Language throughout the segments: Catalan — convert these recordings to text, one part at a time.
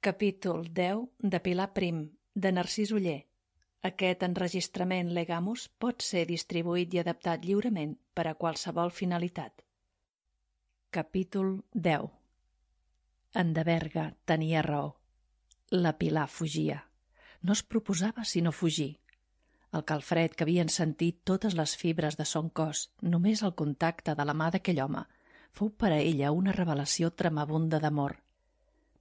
Capítol 10 de Pilar Prim, de Narcís Oller. Aquest enregistrament Legamus pot ser distribuït i adaptat lliurement per a qualsevol finalitat. Capítol 10. En de Berga tenia raó. La Pilar fugia. No es proposava sinó fugir. El calfred que havien sentit totes les fibres de son cos, només al contacte de la mà d'aquell home, fou per a ella una revelació tremabunda d'amor.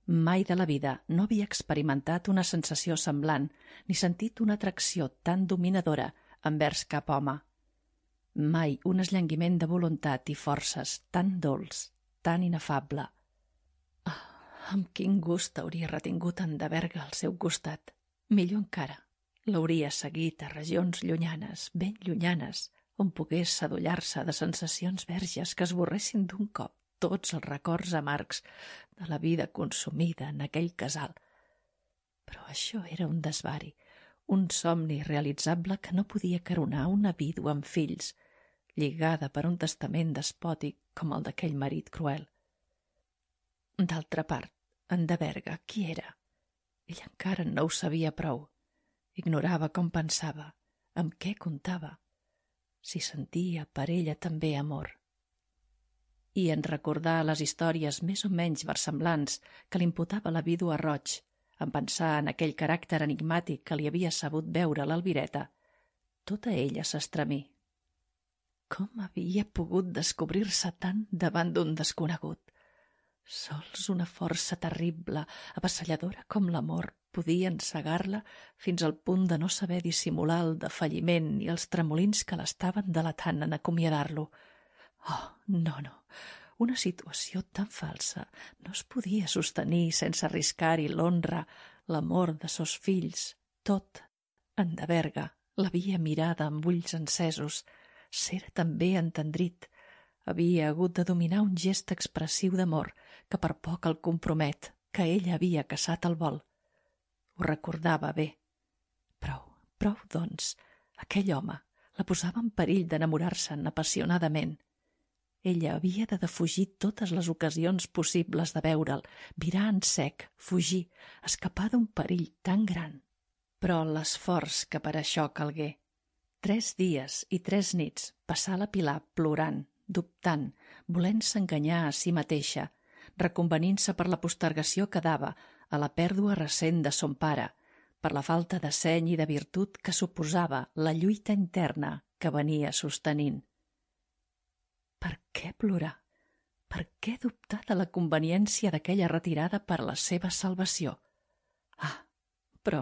Mai de la vida no havia experimentat una sensació semblant ni sentit una atracció tan dominadora envers cap home. Mai un esllanguiment de voluntat i forces tan dolç, tan inefable. Amb quin gust hauria retingut en de Berga al seu costat. Millor encara, l'hauria seguit a regions llunyanes, ben llunyanes, on pogués sadollar-se de sensacions verges que esborressin d'un cop tots els records amargs de la vida consumida en aquell casal. Però això era un desvari, un somni realitzable que no podia caronar una vídua amb fills, lligada per un testament despòtic com el d'aquell marit cruel. D'altra part, en de Berga, qui era? Ell encara no ho sabia prou. Ignorava com pensava, amb què comptava, si sentia per ella també amor. I en recordar les històries més o menys versemblants que l'imputava la vídua Roig, en pensar en aquell caràcter enigmàtic que li havia sabut veure l'Albireta, tota ella s'estremí. Com havia pogut descobrir-se tant davant d'un desconegut? Sols una força terrible, avassalladora com l'amor, podia encegar-la fins al punt de no saber dissimular el defalliment i els tremolins que l'estaven delatant en acomiadar-lo. Oh, no, una situació tan falsa no es podia sostenir sense arriscar-hi l'honra, l'amor de sos fills, tot. En de Berga l'havia mirada amb ulls encesos, s'era també entendrit, havia hagut de dominar un gest expressiu d'amor que per poc el compromet, que ella havia caçat al vol. Ho recordava bé. Prou, doncs, aquell home la posava en perill d'enamorar-se'n apassionadament. Ella havia de defugir totes les ocasions possibles de veure'l, virar en sec, fugir, escapar d'un perill tan gran. Però l'esforç que per això calgué. 3 dies i 3 nits passà la Pilar plorant, dubtant, volent-se enganyar a si mateixa, reconvenint-se per la postergació que dava a la pèrdua recent de son pare, per la falta de seny i de virtut que suposava la lluita interna que venia sostenint. Per què plorar? Per què dubtar de la conveniència d'aquella retirada per a la seva salvació? Però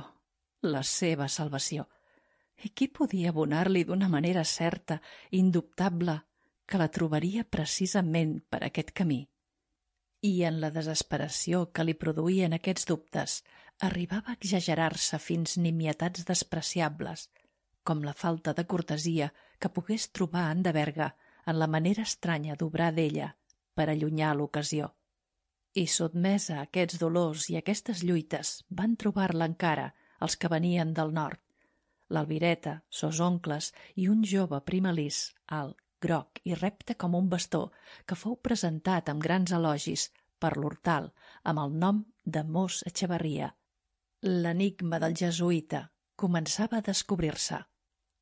la seva salvació. I qui podia abonar-li d'una manera certa, indubtable, que la trobaria precisament per aquest camí? I en la desesperació que li produïen aquests dubtes, arribava a exagerar-se fins nimietats despreciables, com la falta de cortesia que pogués trobar en de Berga en la manera estranya d'obrar d'ella per allunyar l'ocasió. I sotmesa a aquests dolors i aquestes lluites van trobar-la encara els que venien del nord, l'Albireta, sos oncles i un jove primalís, alt, groc i repte com un bastó, que fou presentat amb grans elogis per l'Hortal amb el nom de Mos Echevarria. L'enigma del jesuïta començava a descobrir-se.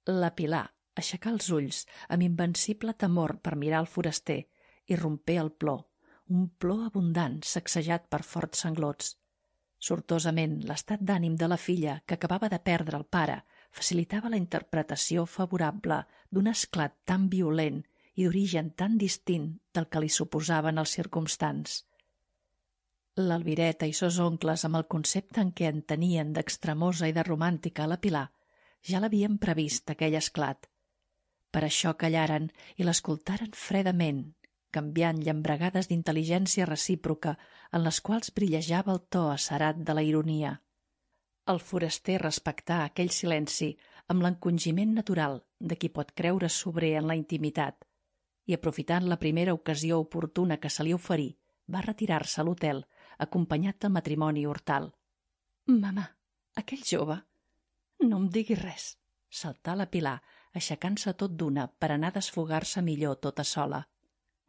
La Pilar aixecà els ulls amb invencible temor per mirar el foraster i rompé el plor, un plor abundant sacsejat per forts sanglots. Sortosament, l'estat d'ànim de la filla, que acabava de perdre el pare, facilitava la interpretació favorable d'un esclat tan violent i d'origen tan distint del que li suposaven els circumstants. L'Albireta i sos oncles, amb el concepte en què en tenien d'extremosa i de romàntica a la Pilar, ja l'havien previst aquell esclat. Per això callaren i l'escoltaren fredament, canviant llambregades d'intel·ligència recíproca en les quals brillejava el to acerat de la ironia. El foraster respectà aquell silenci amb l'encongiment natural de qui pot creure sobrer en la intimitat i, aprofitant la primera ocasió oportuna que se li oferí, va retirar-se a l'hotel acompanyat del matrimoni Hortal. «Mamà, aquell jove?» «No em diguis res», saltà la Pilar, aixecant-se tot d'una per anar a desfogar-se millor tota sola.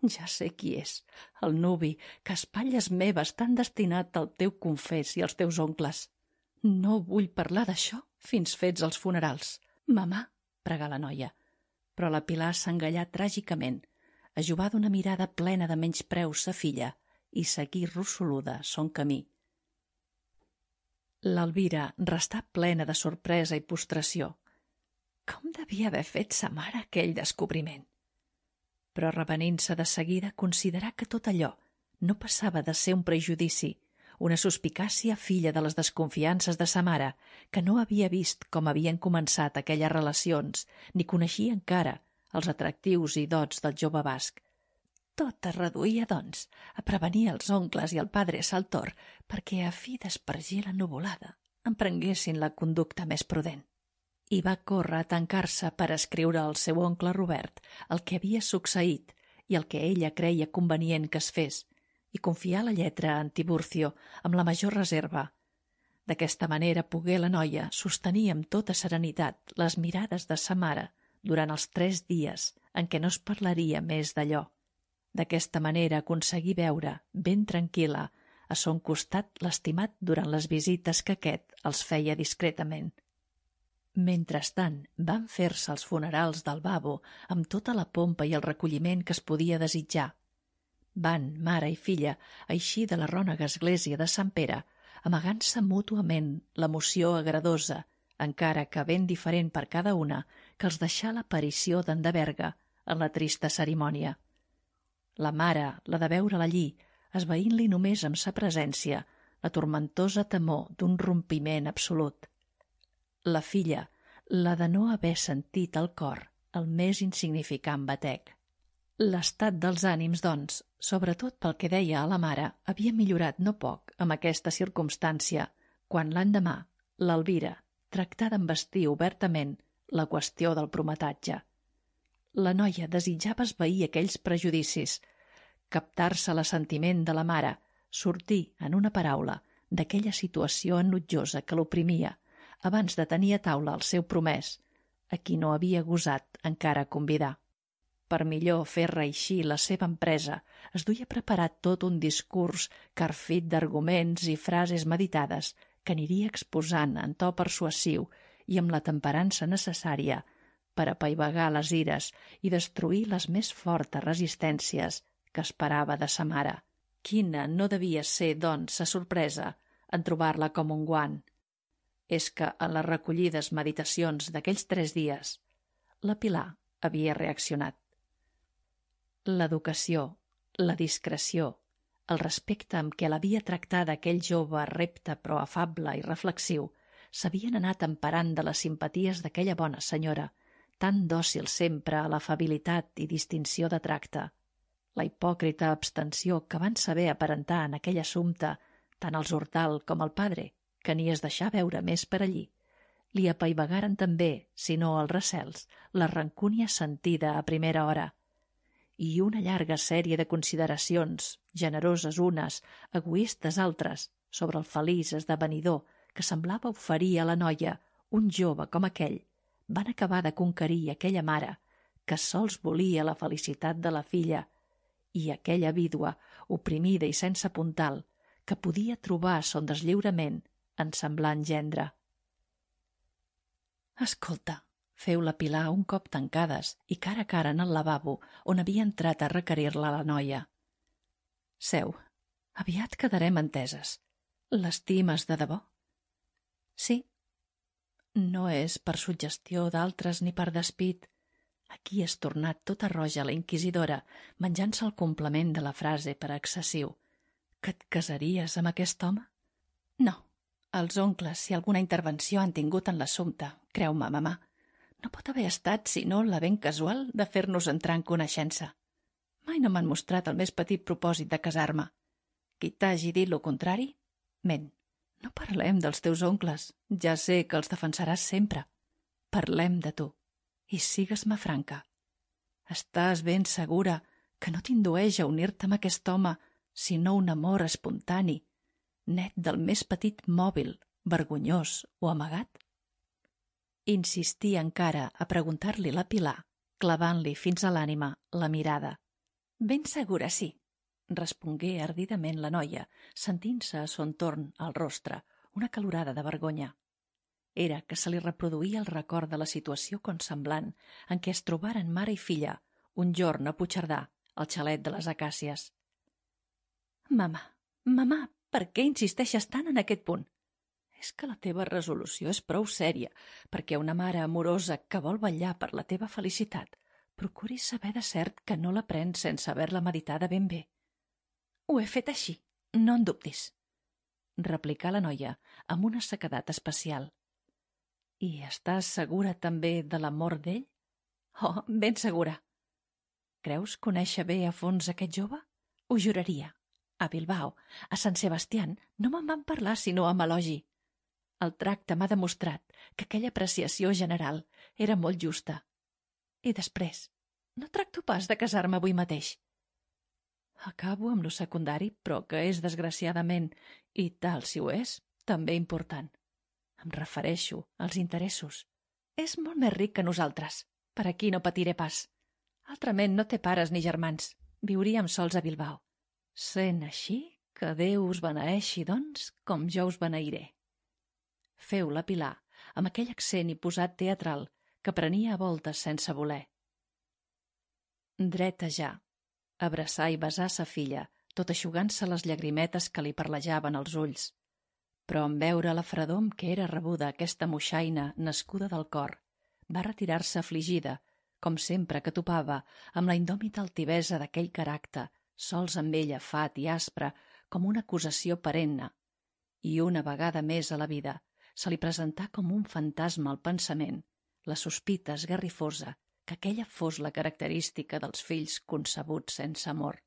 Ja sé qui és, el nuvi, que a espatlles meves t'han destinat al teu confés i als teus oncles. No vull parlar d'això fins fets els funerals. Mamà, pregà la noia. Però la Pilar s'engallà tràgicament, ajovà d'una mirada plena de menyspreu sa filla i seguí rossoluda son camí. L'Elvira restà plena de sorpresa i postració. Com devia haver fet sa mare aquell descobriment? Però revenint-se de seguida considerà que tot allò no passava de ser un prejudici, una suspicàcia filla de les desconfiances de sa mare, que no havia vist com havien començat aquelles relacions, ni coneixia encara els atractius i dots del jove basc. Tot es reduïa, doncs, a prevenir els oncles i el padre Saltor perquè, a fi d'espargir la nuvolada, emprenguessin la conducta més prudent. I va córrer a tancar-se per escriure al seu oncle Robert el que havia succeït i el que ella creia convenient que es fes, i confiar la lletra a en Tiburcio amb la major reserva. D'aquesta manera pogué la noia sostenir amb tota serenitat les mirades de sa mare durant els 3 dies en què no es parlaria més d'allò. D'aquesta manera aconseguí veure, ben tranquil·la, a son costat l'estimat durant les visites que aquest els feia discretament. Mentrestant, van fer-se els funerals del babo amb tota la pompa i el recolliment que es podia desitjar. Van, mare i filla, eixir de la rònega església de Sant Pere, amagant-se mútuament l'emoció agradosa, encara que ben diferent per cada una, que els deixà l'aparició d'en de Berga en la trista cerimònia. La mare, la de veure-la allí, esvaint-li només amb sa presència la tormentosa temor d'un rompiment absolut. La filla, la de no haver sentit al cor el més insignificant batec. L'estat dels ànims, doncs, sobretot pel que deia a la mare, havia millorat no poc amb aquesta circumstància, quan l'endemà l'Elvira tractà d'envestir obertament la qüestió del prometatge. La noia desitjava esvair aquells prejudicis, captar-se l'assentiment de la mare, sortir, en una paraula, d'aquella situació enutjosa que l'oprimia, abans de tenir a taula el seu promès, a qui no havia gosat encara convidar. Per millor fer reeixir la seva empresa, es duia preparat tot un discurs carfit d'arguments i frases meditades que aniria exposant en to persuasiu i amb la temperança necessària per apaivagar les ires i destruir les més fortes resistències que esperava de sa mare. Quina no devia ser, doncs, sa sorpresa en trobar-la com un guant. És que en les recollides meditacions d'aquells 3 dies, la Pilar havia reaccionat. L'educació, la discreció, el respecte amb què l'havia tractada aquell jove repte però afable i reflexiu, s'havien anat emparant de les simpaties d'aquella bona senyora, tan dòcil sempre a l'afabilitat i distinció de tracte. La hipòcrita abstenció que van saber aparentar en aquell assumpte tant els Hortal com el padre, que ni es deixà veure més per allí, li apaivagaren també, si no els recels, la rancúnia sentida a primera hora, i una llarga sèrie de consideracions, generoses unes, egoistes altres, sobre el feliç esdevenidor que semblava oferir a la noia un jove com aquell, van acabar de conquerir aquella mare que sols volia la felicitat de la filla i aquella vídua oprimida i sense puntal que podia trobar son deslliurament en semblant gendre. Escolta, feu la Pilar un cop tancades i cara a cara en el lavabo on havia entrat a requerir-la la noia. Seu, aviat quedarem enteses. L'estimes de debò? Sí. No és per suggestió d'altres ni per despit. Aquí és tornat tota roja la inquisidora, menjant-se el complement de la frase per excessiu. Que et casaries amb aquest home? No. Els oncles, si alguna intervenció han tingut en l'assumpte, creu-me, mamà, no pot haver estat sinó la ben casual de fer-nos entrar en coneixença. Mai no m'han mostrat el més petit propòsit de casar-me. Qui t'hagi dit lo contrari, ment. No parlem dels teus oncles, ja sé que els defensaràs sempre. Parlem de tu, i sigues-me franca. Estàs ben segura que no t'indueix a unir-te amb aquest home, sinó un amor espontani, net del més petit mòbil, vergonyós o amagat? Insistia encara a preguntar-li la Pilar, clavant-li fins a l'ànima la mirada. Ben segura, sí, respongué ardidament la noia, sentint-se a son torn al rostre una calorada de vergonya. Era que se li reproduïa el record de la situació consemblant en què es trobaren mare i filla un jorn a Puigcerdà, al xalet de les Acàcies. Mamà, per què insisteixes tant en aquest punt? És que la teva resolució és prou sèria perquè una mare amorosa que vol vetllar per la teva felicitat procuri saber de cert que no la prens sense haver-la meditada ben bé. Ho he fet així, no en dubtis, replicà la noia amb una sequedat especial. I estàs segura també de l'amor d'ell? Oh, ben segura. Creus conèixer bé a fons aquest jove? Ho juraria. A Bilbao, a Sant Sebastián, no me'n van parlar sinó amb elogi. El tracte m'ha demostrat que aquella apreciació general era molt justa. I després, no tracto pas de casar-me avui mateix. Acabo amb lo secundari, però que és, desgraciadament, i tal si ho és, també important. Em refereixo als interessos. És molt més ric que nosaltres. Per aquí no patiré pas. Altrament no té pares ni germans. Viuríem sols a Bilbao. Sent així, que Déu us beneeixi, doncs, com jo us beneiré. Feu la Pilar, amb aquell accent i posat teatral que prenia a voltes sense voler. Dreta ja, abraçar i besar sa filla, tot eixugant-se les llagrimetes que li parlejaven als ulls. Però en veure la fredor amb què era rebuda aquesta moixaina nascuda del cor, va retirar-se afligida, com sempre que topava amb la indòmita altivesa d'aquell caràcter, sols amb ella fat i aspre com una acusació perenne, i una vegada més a la vida se li presentà com un fantasma al pensament la sospita esgarrifosa que aquella fos la característica dels fills concebuts sense amor.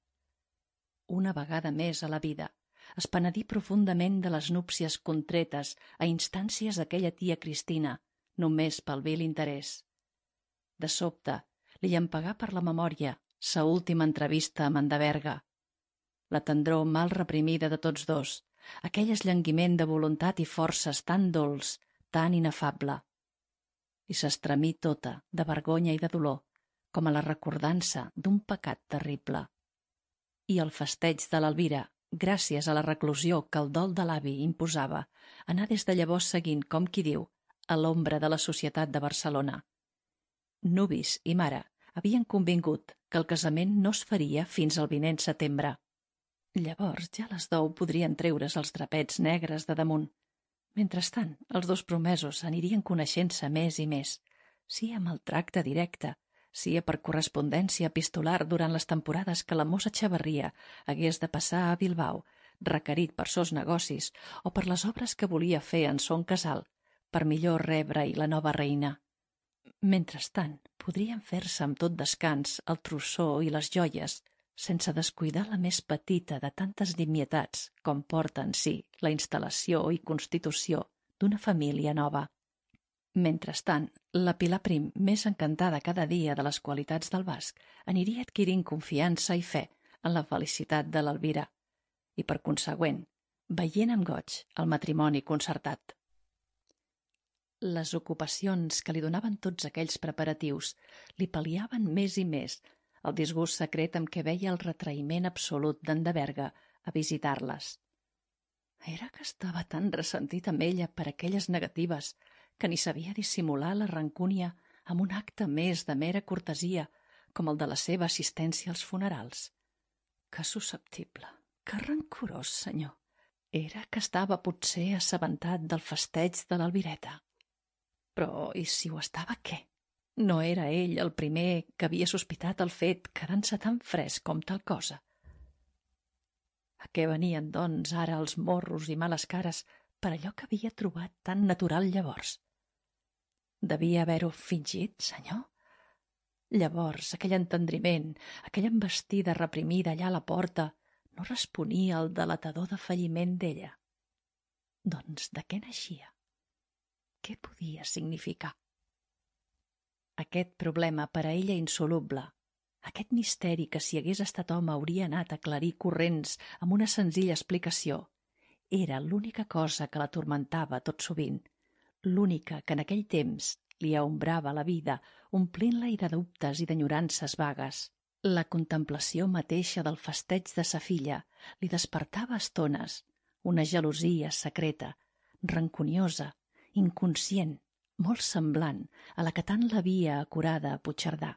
Una vegada més a la vida es penedí profundament de les núpcies contretes a instàncies d'aquella tia Cristina, només pel vil interès. De sobte, li llampegà per la memòria sa última entrevista amb en de Berga. La tendror mal reprimida de tots dos, aquell esllanguiment de voluntat i forces tan dolç, tan inefable. I s'estremí tota, de vergonya i de dolor, com a la recordança d'un pecat terrible. I el festeig de l'Elvira, gràcies a la reclusió que el dol de l'avi imposava, anà des de llavors seguint, com qui diu, a l'ombra de la societat de Barcelona. Nuvis i mare havien convingut que el casament no es faria fins al vinent setembre. Llavors ja les 10 podrien treure's els drapets negres de damunt. Mentrestant, els dos promesos anirien coneixent-se més i més, sia amb el tracte directe, sia per correspondència epistolar durant les temporades que la mossa Xavarria hagués de passar a Bilbao, requerit per sos negocis o per les obres que volia fer en son casal, per millor rebre-hi la nova reina. Mentrestant, podrien fer-se amb tot descans el trossó i les joies, sense descuidar la més petita de tantes nimietats com porta en si la instal·lació i constitució d'una família nova. Mentrestant, la Pilar Prim, més encantada cada dia de les qualitats del basc, aniria adquirint confiança i fe en la felicitat de l'Elvira i, per consegüent, veient amb goig el matrimoni concertat. Les ocupacions que li donaven tots aquells preparatius li pal·liaven més i més el disgust secret amb què veia el retraïment absolut d'en de Berga a visitar-les. Era que estava tan ressentit amb ella per aquelles negatives que ni sabia dissimular la rancúnia amb un acte més de mera cortesia com el de la seva assistència als funerals. Que susceptible, que rancorós, senyor. Era que estava potser assabentat del festeig de l'Elvireta. Però, i si ho estava, què? No era ell el primer que havia sospitat el fet quedant-se tan fresc com tal cosa. A què venien, doncs, ara els morros i males cares per allò que havia trobat tan natural llavors? Devia haver-ho fingit, senyor? Llavors, aquell entendriment, aquella embestida reprimida allà a la porta, no responia al delatador de falliment d'ella. Doncs de què naixia? Què podia significar? Aquest problema per a ella insoluble, aquest misteri que si hagués estat home hauria anat a aclarir corrents amb una senzilla explicació, era l'única cosa que l'atormentava tot sovint, l'única que en aquell temps li aombrava la vida, omplint-la de dubtes i d'enyorances vagues. La contemplació mateixa del festeig de sa filla li despertava a estones una gelosia secreta, rancuniosa, inconscient, molt semblant a la que tant l'havia acurada a Puigcerdà.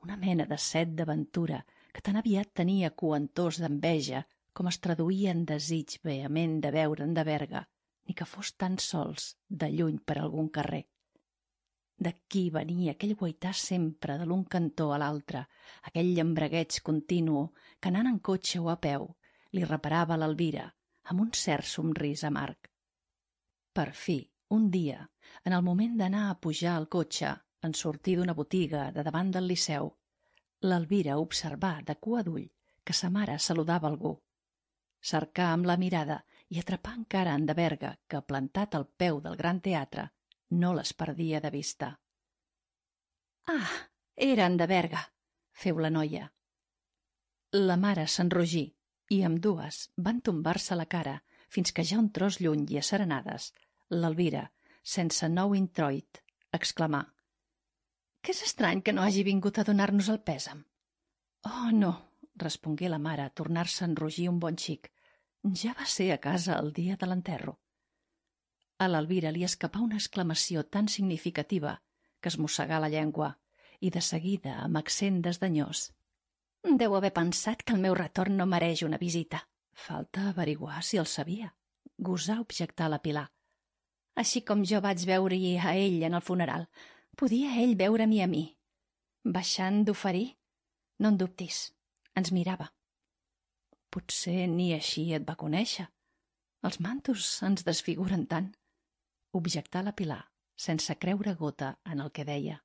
Una mena de set d'aventura que tan aviat tenia coentors d'enveja com es traduïa en desig vehement de veure'n de Berga, ni que fos tan sols de lluny per algun carrer. D'aquí venia aquell guaitar sempre de l'un cantó a l'altre, aquell llambregueig continu que anant en cotxe o a peu li reparava a l'Elvira amb un cert somrís amarg. Per fi, un dia, en el moment d'anar a pujar al cotxe, en sortir d'una botiga de davant del Liceu, l'Elvira observà de cua d'ull que sa mare saludava algú. Cercà amb la mirada i atrapà encara en de Berga, que, plantat al peu del Gran Teatre, no les perdia de vista. «Ah, era en de Berga», feu la noia. La mare s'enrogí i ambdues van tombar-se la cara fins que ja un tros lluny i asserenades, l'Elvira, sense nou introit, exclamà: «Que és estrany que no hagi vingut a donar-nos el pèsam». «Oh, no», respongué la mare a tornar-se a enrogir un bon xic. «Ja va ser a casa el dia de l'enterro». A l'Elvira li escapà una exclamació tan significativa que es mossegà la llengua i de seguida, amb accent desdenyós: «Deu haver pensat que el meu retorn no mereix una visita». «Falta averiguar si el sabia», gosà objectar la Pilar. «Així com jo vaig veure-hi a ell en el funeral, podia ell veure-m'hi a mi. Baixant d'oferir, no en dubtis, ens mirava». «Potser ni així et va conèixer. Els mantos ens desfiguren tant», objectà la Pilar, sense creure gota en el que deia.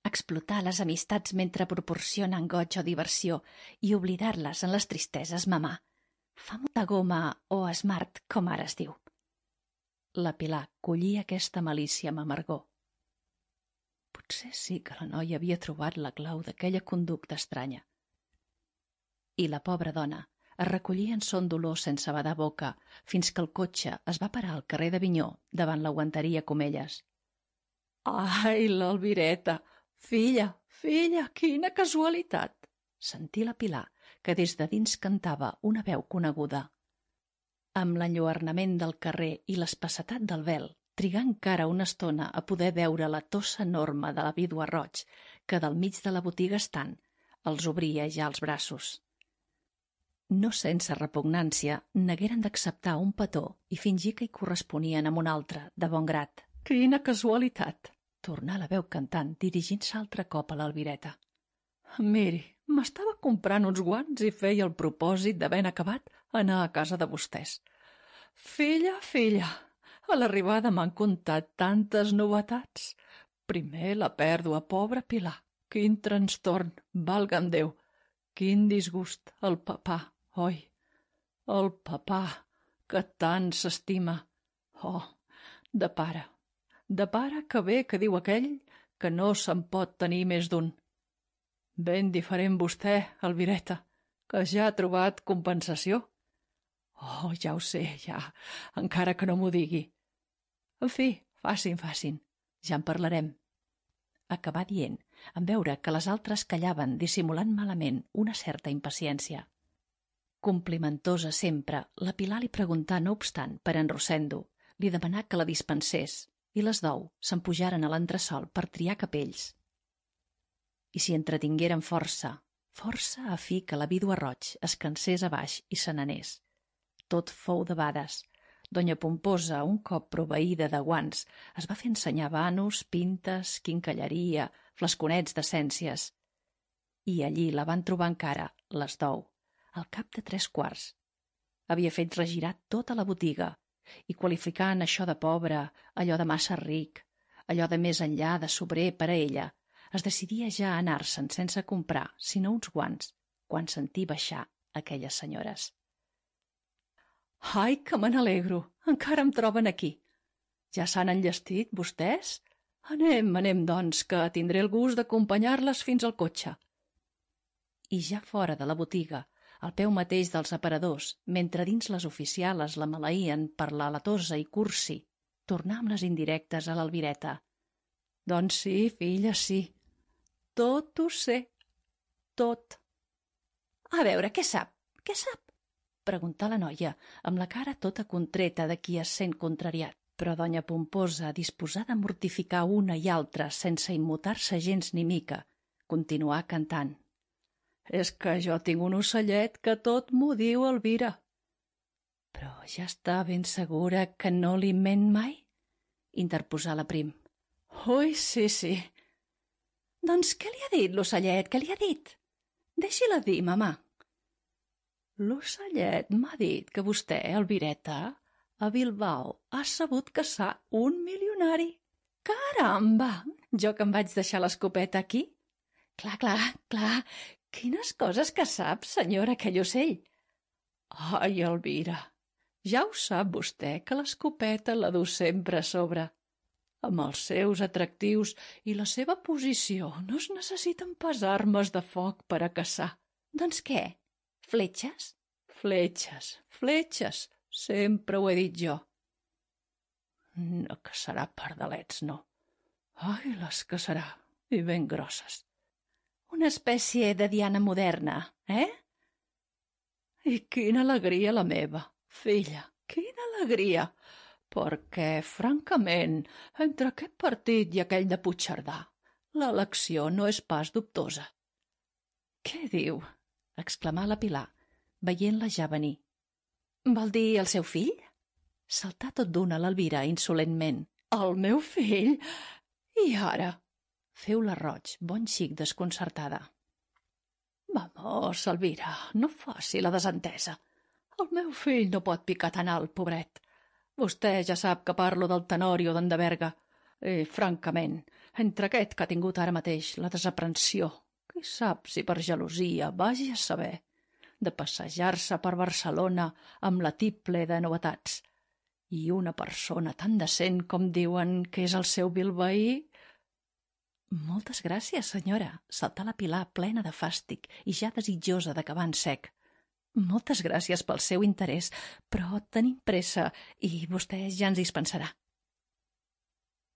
«Explotar les amistats mentre proporcionen goig o diversió i oblidar-les en les tristeses, mamà. Fam de goma o smart, com ara es diu». La Pilar collia aquesta malícia amb amargor. Potser sí que la noia havia trobat la clau d'aquella conducta estranya. I la pobra dona es recollia en son dolor sense badar boca fins que el cotxe es va parar al carrer d'Avinyó davant la guanteria Comelles. «Ai, l'Elvireta! Filla, filla, quina casualitat!» sentí la Pilar, que des de dins cantava una veu coneguda. Amb l'enlluernament del carrer i l'espessetat del vel, trigà encara una estona a poder veure la tossa enorme de la vídua Roig, que del mig de la botiga estant els obria ja els braços. No sense repugnància, nagueren d'acceptar un petó i fingir que hi corresponien amb un altre, de bon grat. «Quina casualitat!» tornà la veu cantant, dirigint-se altre cop a l'Elvireta. «Miri, m'estava comprant uns guants i feia el propòsit d'havent acabat anar a casa de vostès. Filla, filla, a l'arribada m'han contat tantes novetats. Primer la pèrdua, pobra Pilar. Quin trastorn, valga'm Déu. Quin disgust, el papà, oi? El papà, que tant s'estima. Oh, de pare que bé que diu aquell que no se'n pot tenir més d'un. Ben diferent vostè, Elvireta, que ja ha trobat compensació. Oh, ja ho sé, ja, encara que no m'ho digui. En fi, facin, ja en parlarem». Acabà dient, en veure que les altres callaven dissimulant malament una certa impaciència. Complimentosa sempre, la Pilar li preguntà, no obstant, per en Rosendo, li demanà que la dispensés i les dou se'n pujaren a l'entresol per triar capells. I s'hi entretingueren força a fi que la vídua Roig es cansés a baix i se n'anés. Tot fou debades. Donya Pomposa, un cop proveïda de guants, es va fer ensenyar vanos, pintes, quincalleria, flasconets d'essències. I allí la van trobar encara, les dou, al cap de 3/4. Havia fet regirar tota la botiga i qualificant això de pobre, allò de massa ric, allò de més enllà de sobrer per a ella, es decidia ja a anar-se'n sense comprar sinó uns guants quan sentí baixar aquelles senyores. «Ai, que me n'alegro! Encara em troben aquí. Ja s'han enllestit, vostès? Anem, doncs, que tindré el gust d'acompanyar-les fins al cotxe». I ja fora de la botiga, al peu mateix dels aparadors, mentre dins les oficiales la maleïen per la latosa i cursi, tornà amb les indirectes a l'Elvireta. «Doncs sí, filla, sí. Tot ho sé». tot. A veure, què sap? Què sap? Preguntà la noia, amb la cara tota contreta de qui es sent contrariat. Però doña Pomposa, disposada a mortificar una i altra sense immutar-se gens ni mica, continuà cantant. És que jo tinc un ocellet que tot m'ho diu, Elvira. Però ja està ben segura que no li ment mai? Interposà la Prim. Ui, sí, sí. Doncs què li ha dit l'ocellet? Què li ha dit? Deixi-la dir, mamà. L'ocellet m'ha dit que vostè, Elvireta, a Bilbao ha sabut caçar un milionari. Caramba! Jo que em vaig deixar l'escopeta aquí? Clar, clar, clar. Quines coses que sap, senyora, aquell ocell. Ai, Elvira, ja ho sap vostè que l'escopeta la du sempre a sobre. Amb els seus atractius i la seva posició no es necessiten pas armes de foc per a caçar. Doncs què? Fletxes? Fletxes, fletxes, sempre ho he dit jo. No caçarà pardalets, no. Ai, les caçarà, i ben grosses. Una espècie de diana moderna, eh? I quina alegria la meva, filla, quina alegria, perquè, francament, entre aquest partit i aquell de Puigcerdà, l'elecció no és pas dubtosa. Què diu? Exclamà la Pilar, veient-la ja venir. Vol dir el seu fill? Saltà tot d'una l'Elvira insolentment. El meu fill? I ara? Feu la Roig, bon xic desconcertada. Vamos, Elvira, no faci la desentesa. El meu fill no pot picar tan alt, pobret. Vostè ja sap que parlo del Tenorio d'en de Berga. I, francament, entre aquest que ha tingut ara mateix la desaprensió, qui sap si per gelosia, vagi a saber, de passejar-se per Barcelona amb la tiple de novetats, i una persona tan decent com diuen que és el seu bilbaí... Moltes gràcies, senyora, saltà la Pilar plena de fàstic i ja desitjosa d'acabar en sec. Moltes gràcies pel seu interès, però tenim pressa i vostè ja ens dispensarà.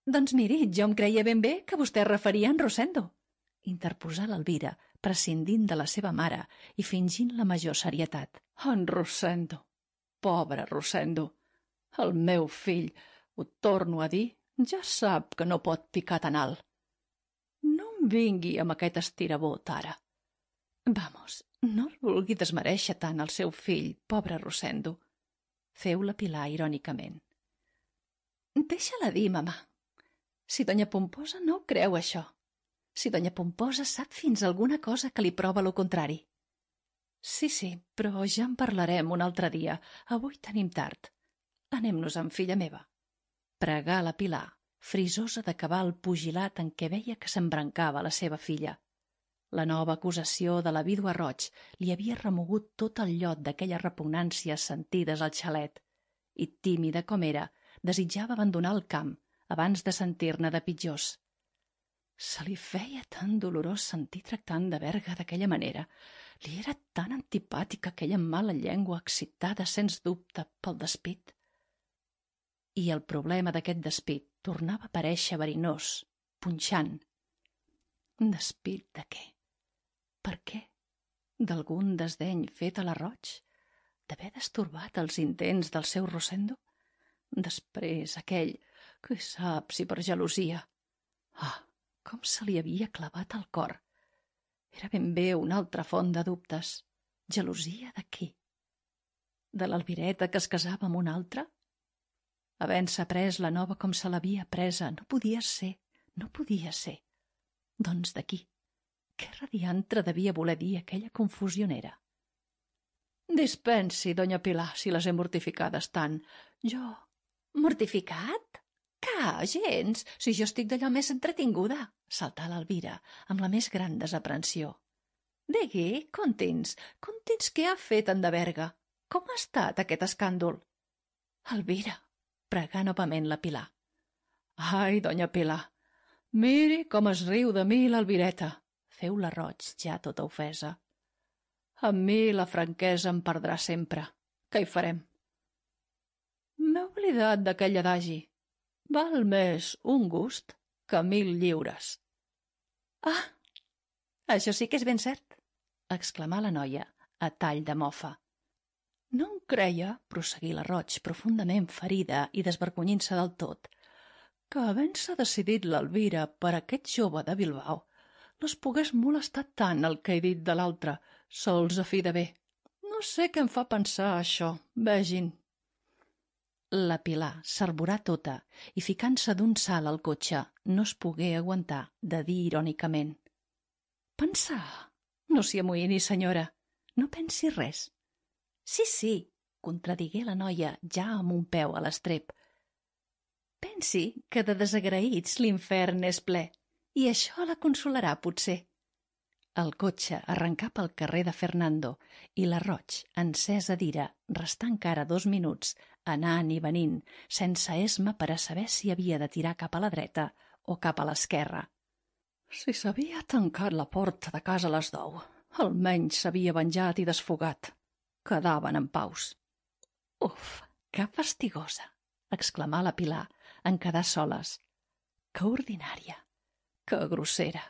Doncs miri, jo em creia ben bé que vostè es referia a en Rosendo, interposà l'Elvira, prescindint de la seva mare i fingint la major serietat. En Rosendo, pobre Rosendo, el meu fill, ho torno a dir, ja sap que no pot picar tan alt. No em vingui amb aquest estirabot ara. Vamos, no el vulgui desmereixer tant el seu fill, pobre Rosendo. Feu la Pilar irònicament. Deixa-la dir, mamà. Si doña Pomposa no ho creu, això. Si doña Pomposa sap fins alguna cosa que li prova lo contrari. Sí, però ja en parlarem un altre dia. Avui tenim tard. Anem-nos-en, filla meva. Pregà la Pilar, frisosa d'acabar el pugilat en què veia que s'embrancava la seva filla. La nova acusació de la vídua Roig li havia remogut tot el llot d'aquelles repugnàncies sentides al xalet, i, tímida com era, desitjava abandonar el camp abans de sentir-ne de pitjors. Se li feia tan dolorós sentir tractant de Berga d'aquella manera. Li era tan antipàtica aquella mala llengua excitada, sens dubte, pel despit. I el problema d'aquest despit tornava a aparèixer verinós, punxant. Despit de què? Per què? D'algun desdeny fet a la Roig? D'haver destorbat els intents del seu Rosendo? Després aquell, qui sap si per gelosia. Com se li havia clavat al cor. Era ben bé una altra font de dubtes. Gelosia de qui? De l'Elvireta que es casava amb un altre? Havent-se pres la nova com se l'havia presa, no podia ser, no podia ser. Doncs de qui? Què radiantre devia voler dir aquella confusionera? Dispensi, doña Pilar, si les he mortificades tant. Jo... Mortificat? Que, gens, si jo estic d'allò més entretinguda, saltà l'Elvira, amb la més gran desaprensió. Digui, conti'ns què ha fet en de Berga? Com ha estat aquest escàndol? Elvira, pregà novament la Pilar. Ai, doña Pilar, miri com es riu de mi l'Elvireta, feu la Roig, ja tota ofesa. Amb mi la franquesa em perdrà sempre. Què hi farem? M'he oblidat d'aquell adagi. Val més un gust que 1000 lliures. Ah, això sí que és ben cert, exclamà la noia, a tall de mofa. No em creia, prosseguí la Roig, profundament ferida i desvergonyint-se del tot, que havent-se decidit l'Elvira per aquest jove de Bilbao, les pogués molestar tant el que he dit de l'altre, sols a fi de bé. No sé què em fa pensar això, vegin. La Pilar s'arborà tota i, ficant-se d'un salt al cotxe, no es pogué aguantar de dir irònicament: «Pensar? No s'hi amoïni, senyora. No pensi res». Sí, contradigué la noia ja amb un peu a l'estrep. Pensi que de desagraïts l'infern és ple, i això la consolarà, potser. El cotxe arrencà pel carrer de Fernando i la Roig, encesa d'ira, restà encara 2 minuts, anant i venint, sense esma per a saber si havia de tirar cap a la dreta o cap a l'esquerra. Si s'havia tancat la porta de casa a les 10, almenys s'havia venjat i desfogat. Quedaven en paus. Uf, que fastigosa, exclamà la Pilar en quedar soles. Que ordinària, que grossera.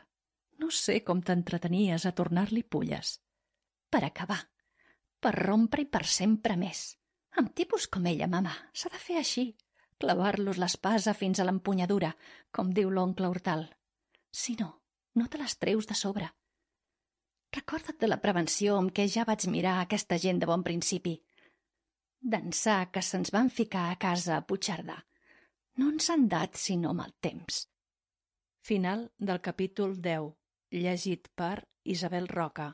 No sé com t'entretenies a tornar-li pulles. Per acabar, per rompre i per sempre més. Amb tipus com ella, mama, s'ha de fer així, clavar-los l'espasa fins a l'empunyadura, com diu l'oncle Hortal. Si no, no te les treus de sobre. Recorda't de la prevenció amb què ja vaig mirar aquesta gent de bon principi. D'ençà que se'ns van ficar a casa a Puigcerdà, no ens han dat sinó mal temps. Final del capítol 10, llegit per Isabel Roca.